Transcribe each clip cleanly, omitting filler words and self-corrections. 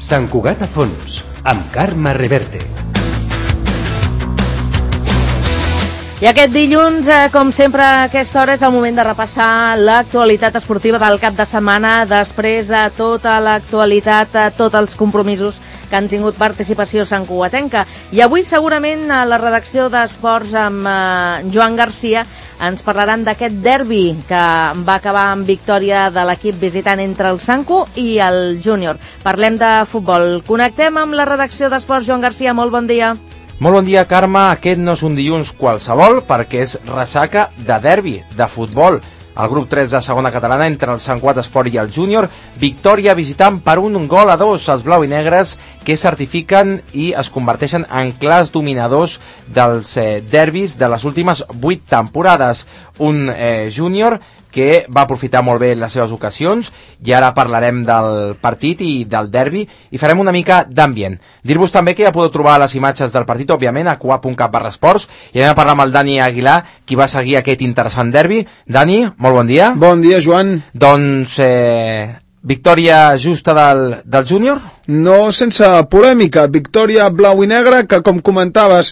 Sant Cugat a fons, amb Carme Reverte. I aquest dilluns, com sempre a aquesta hora, és el moment de repassar l'actualitat esportiva del cap de setmana després de tota l'actualitat, tots els compromisos que han tingut participació santcugatenca. I avui segurament a la redacció d'Esports amb Joan Garcia ens parlaran d'aquest derbi que va acabar amb victòria de l'equip visitant entre el Santcu i el Júnior. Parlem de futbol. Connectem amb la redacció d'Esports. Joan Garcia, molt bon dia. Molt bon dia, Carme. Aquest no és un dilluns qualsevol perquè és ressaca de derbi, de futbol. El grup 3 de segona catalana entre el Sant Cugat Esport i el Júnior, victòria visitant per 1-2 els blau i negres, que certifiquen i es converteixen en clars dominadors dels derbis de les últimes 8 temporades. Un Júnior que va aprofitar molt bé les seves ocasions, i ara parlarem del partit i del derbi i farem una mica d'ambient. Dir-vos també que ja podeu trobar les imatges del partit, òbviament, a cugat.cat/esports, i anem a parlar amb el Dani Aguilar, qui va seguir aquest interessant derbi. Dani, molt bon dia. Bon dia, Joan. Doncs victòria justa del Júnior? No sense polèmica, victòria blau i negra que, com comentaves,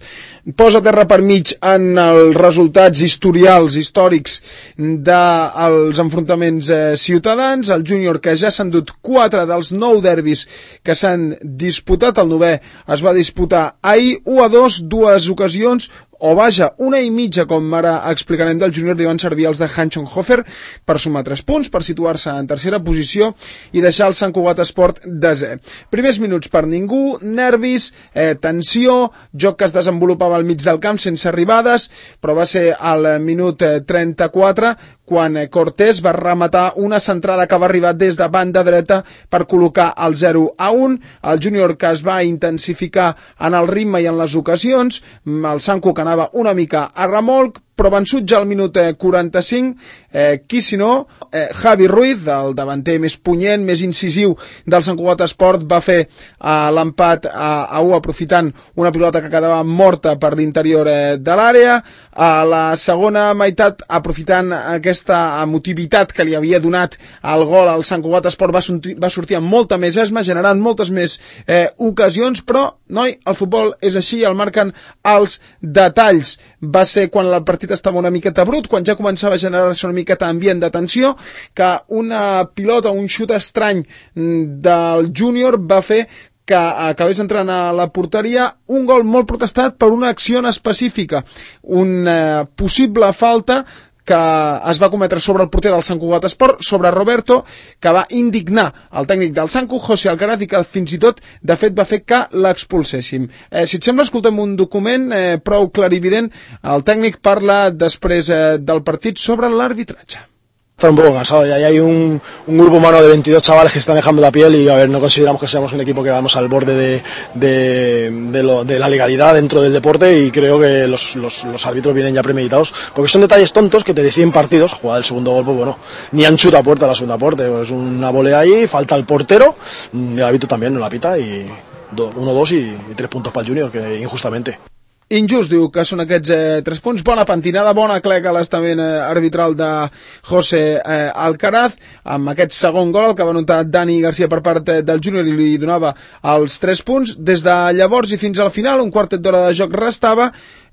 posa terra per mig en els resultats historials, històrics dels enfrontaments ciutadans. El Júnior, que ja s'han dut 4 dels 9 derbis que s'han disputat, el 9è es va disputar ahir, 1-2, 2 ocasions, o vaja, 1,5, com ara explicarem, del Júnior, li van servir els de Hanschenhofer per sumar 3 punts, per situar-se en tercera posició i deixar el Sant Cugat Esport desè. Primers minuts per ningú, nervis, tensió, joc que es desenvolupava al mig del camp sense arribades, però va ser al minut 34 quan Cortés va rematar una centrada que va arribar des de banda dreta per col·locar el 0-1. El Júnior, que es va intensificar en el ritme i en les ocasions, el Santcu, que anava una mica a remolc, però vençut ja al minut 45, qui si no, Javi Ruiz, el davanter més punyent, més incisiu del Sant Cugat Esport, va fer l'empat a 1 aprofitant una pilota que quedava morta per l'interior de l'àrea. A la segona meitat, aprofitant aquesta emotivitat que li havia donat el gol al Sant Cugat Esport, va sortir amb molta més esma, generant moltes més ocasions, però, noi, el futbol és així, el marquen els detalls. Va ser quan el partit estava una miqueta brut, quan ja començava a generar-se una miqueta ambient de tensió, que una pilota, un xut estrany del Júnior va fer que acabés entrant a la porteria, un gol molt protestat per una acció específica, una possible falta que es va cometre sobre el porter del Sant Cugat Esport, sobre Roberto, que va indignar el tècnic del Santcu, José Alcaraz, i que fins i tot, de fet, va fer que l'expulséssim. Si et sembla, escoltem un document prou clarivident. El tècnic parla després del partit sobre l'arbitratge. Está un poco cansado, y ahí hay un grupo humano de 22 chavales que están dejando la piel y a ver, no consideramos que seamos un equipo que vamos al borde de la legalidad dentro del deporte, y creo que los árbitros vienen ya premeditados, porque son detalles tontos que te deciden partidos. Jugada del segundo gol, pues bueno, ni han chutado a puerta la segunda parte, es una volea ahí, falta el portero, el árbitro también no la pita, y 1-2 y 3 puntos para el Júnior, que injustamente. Injust, diu que són aquests 3 punts. Bona pentinada, bona clec a l'estament arbitral de José Alcaraz, amb aquest segon gol que va anotar Dani Garcia per part del Júnior i li donava els 3 punts. Des de llavors i fins al final, un quartet d'hora de joc restava.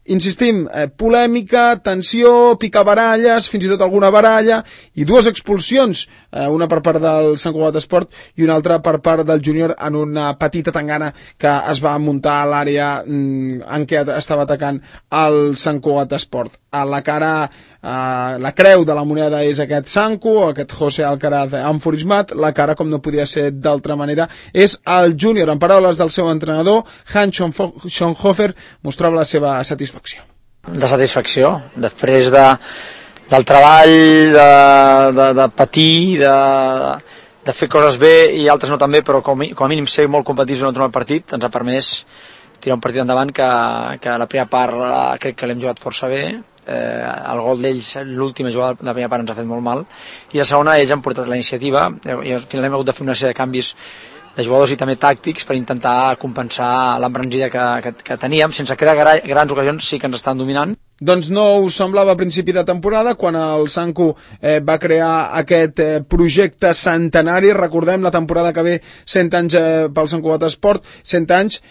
Insistim, polèmica, tensió, picabaralles, fins i tot alguna baralla, i 2 expulsions, una per part del Sant Cugat Esport i una altra per part del Júnior, en una petita tangana que es va muntar a l'àrea en què estava atacant el Sant Cugat Esport. A la cara, la creu de la moneda és aquest Santcu, aquest José Alcaraz enfurismat. La cara, com no podia ser d'altra manera, és el Júnior. En paraules del seu entrenador, Hanschenhofer, mostrava la seva satisfacció. De satisfacció, després del treball, de patir, de fer coses bé i altres no tan bé, però com a mínim ser molt competitius en el partit ens ha permès tirar un partit endavant que la primera part crec que l'hem jugat força bé. El gol d'ells, l'última jugada de la primera part ens ha fet molt mal, i la segona ells han portat la iniciativa i al final hem hagut de fer una sèrie de canvis de jugadors i també tàctics per intentar compensar l'embranzida que teníem. Sense crear grans ocasions, sí que ens estan dominant. Doncs no us semblava a principi de temporada, quan el Sanku va crear aquest projecte centenari. Recordem la temporada que ve, 100 anys pel Sant Cugat Esport, 100 anys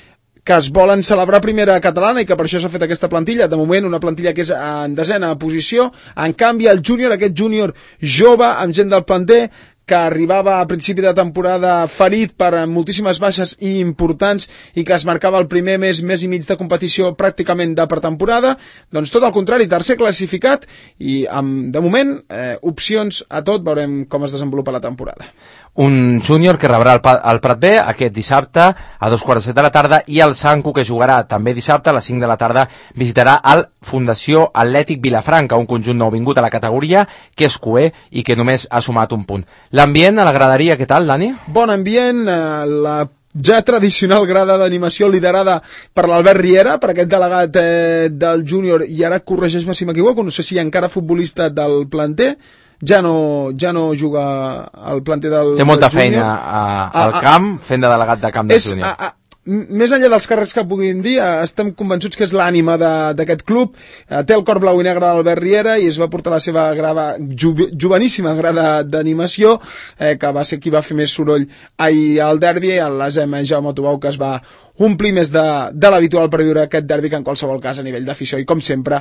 que es volen celebrar primera catalana i que per això s'ha fet aquesta plantilla. De moment una plantilla que és en desena posició. En canvi el júnior, aquest júnior jove amb gent del planter, que arribava a principi de temporada ferit per moltíssimes baixes i importants i que es marcava el primer mes i mig de competició pràcticament de pretemporada, doncs tot el contrari, tercer classificat i amb, de moment, opcions a tot, veurem com es desenvolupa la temporada. Un júnior que rebrà el Prat B aquest dissabte a 2:15 de la tarda i el Sanku, que jugarà també dissabte a les 5 de la tarda, visitarà el Fundació Atlètic Vilafranca, un conjunt nouvingut a la categoria que és cuer i que només ha sumat un punt. L'ambient a la graderia, què tal, Dani? Bon ambient, la ja tradicional grada d'animació liderada per l'Albert Riera, per aquest delegat del júnior, i ara corregeix-me si m'equivoco, no sé si encara futbolista del planter, ja no juga al planter del Té molta del feina al camp, fent de delegat de camp del júnior. Més enllà dels càrrecs que puguin dir, estem convençuts que és l'ànima d'aquest club. Té el cor blau i negre d'Albert Riera i es va portar la seva joveníssima grada d'animació, que va ser qui va fer més soroll ahir al derbi, l'ASM Jaume Tubau, que es va omplir més de l'habitual per viure aquest derbi, que en qualsevol cas a nivell d'afició, i com sempre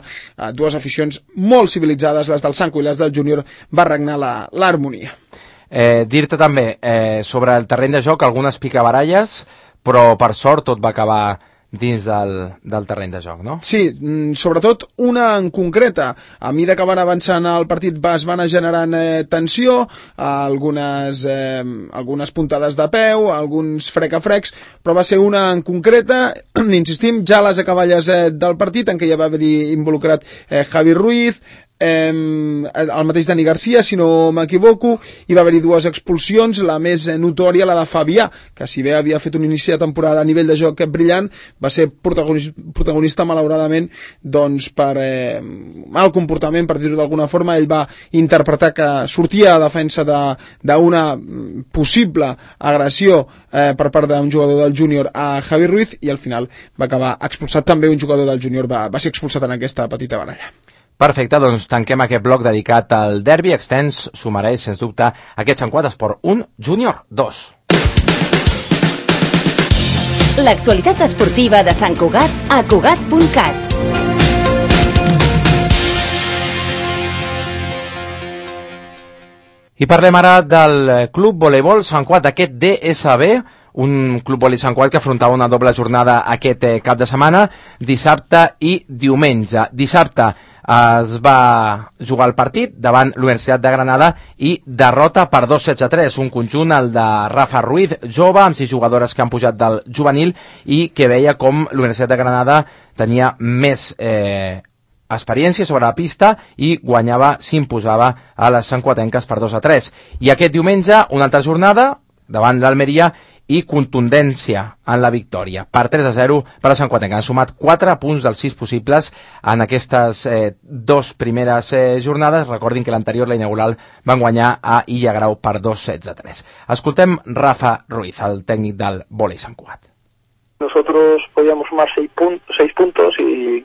dues aficions molt civilitzades, les del Sanku i les del júnior, va regnar l'harmonia. Dir-te també sobre el terreny de joc algunes picabaralles, però per sort tot va acabar dins del terreny de joc, no? Sí, sobretot una en concreta. A mesura que van avançant el partit es van generant tensió, algunes puntades de peu, alguns frec-a-frecs, però va ser una en concreta, insistim, ja a les acaballes del partit, en què ja va haver-hi involucrat Javi Ruiz, el mateix Dani Garcia, si no m'equivoco. Hi va haver-hi dues expulsions, la més notòria, la de Fabià, que si bé havia fet un inici de temporada a nivell de joc brillant, va ser protagonista malauradament doncs per mal comportament, per dir-ho d'alguna forma. Ell va interpretar que sortia a defensa d'una possible agressió per part d'un jugador del júnior a Javi Ruiz, i al final va acabar expulsat també un jugador del júnior, va ser expulsat en aquesta petita baralla. Perfecte, doncs tanquem aquest bloc dedicat al derbi extens. S'ho mereix, sens dubte, aquest Sant Cugat Esport 1, Júnior 2. L'actualitat esportiva de Sant Cugat a Cugat.cat. I parlem ara del Club Voleibol Sant Cugat, aquest DSB, un Club Voleibol Sant Cugat que afrontava una doble jornada aquest cap de setmana, dissabte i diumenge. Dissabte es va jugar el partit davant l'Universitat de Granada i derrota per 2-16-3, un conjunt, el de Rafa Ruiz, jove, amb 6 jugadores que han pujat del juvenil i que veia com l'Universitat de Granada tenia més experiència sobre la pista i s'imposava a les santcuatenques per 2-3. I aquest diumenge una altra jornada davant l'Almeria i contundència en la victòria. Per 3-0 per la santcuatenca. Han sumat 4 punts dels 6 possibles en aquestes dos primeres jornades. Recordin que l'anterior, la inaugural, van guanyar a Illa Grau per 2-16-3. Escoltem Rafa Ruiz, el tècnic del vòlei Sant Cugat. Nosotros podíamos sumar 6 puntos y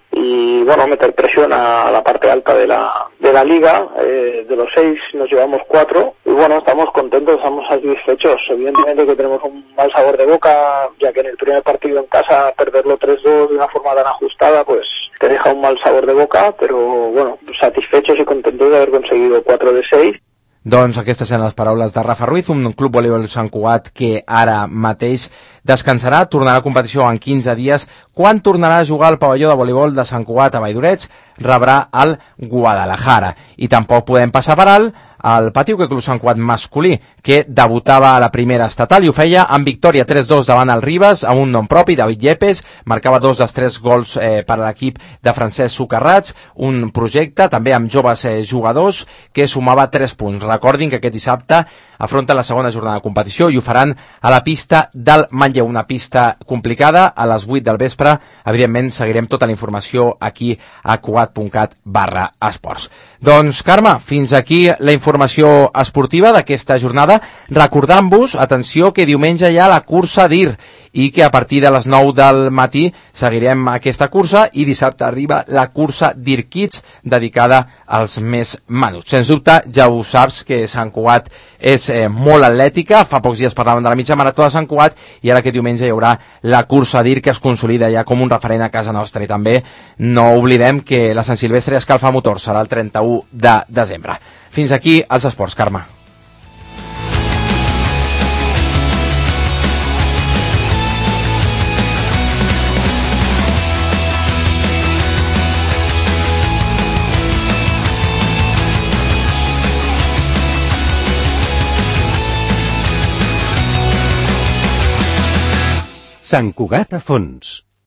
bueno, meter presión a la parte alta de la liga. De los 6 nos llevamos 4 y bueno, estamos contentos, estamos satisfechos. Evidentemente que tenemos un mal sabor de boca, ya que en el primer partido en casa perderlo 3-2 de una forma tan ajustada, pues te deja un mal sabor de boca, pero bueno, satisfechos y contentos de haber conseguido 4 de 6. Doncs aquestes eren les paraules de Rafa Ruiz, un club voleibol Sant Cugat que ara mateix descansarà, tornarà a competició en 15 dies. Quan tornarà a jugar al pavelló de voleibol de Sant Cugat a Valldoreix, rebrà el Guadalajara. I tampoc podem passar per alt el Pati Hoquei Club Sant Cugat masculí, que debutava a la primera estatal i ho feia amb victòria 3-2 davant el Ribes, amb un nom propi, David Yepes, marcava 2 dels 3 gols per a l'equip de Francesc Socarrats, un projecte també amb joves jugadors que sumava 3 punts. Recordin que aquest dissabte afronten la segona jornada de competició i ho faran a la pista del Manlleu, una pista complicada, a les 8 del vespre. Evidentment seguirem tota la informació aquí a cugat.cat/esports. Doncs Carme, fins aquí la informació informació esportiva d'aquesta jornada, recordant-vos, atenció, que diumenge hi ha la cursa d'Ir i que a partir de les 9 del matí seguirem aquesta cursa i dissabte arriba la cursa d'Ir Kids dedicada als més menuts. Sens dubte, ja ho saps que Sant Cugat és molt atlètica. Fa pocs dies parlàvem de la mitja marató de Sant Cugat i ara aquest diumenge hi haurà la cursa d'Ir que es consolida ja com un referent a casa nostra. I també no oblidem que la Sant Silvestre escalfa motor serà el 31 de desembre. Fins aquí els esports, Carme. Sant Cugat a fons.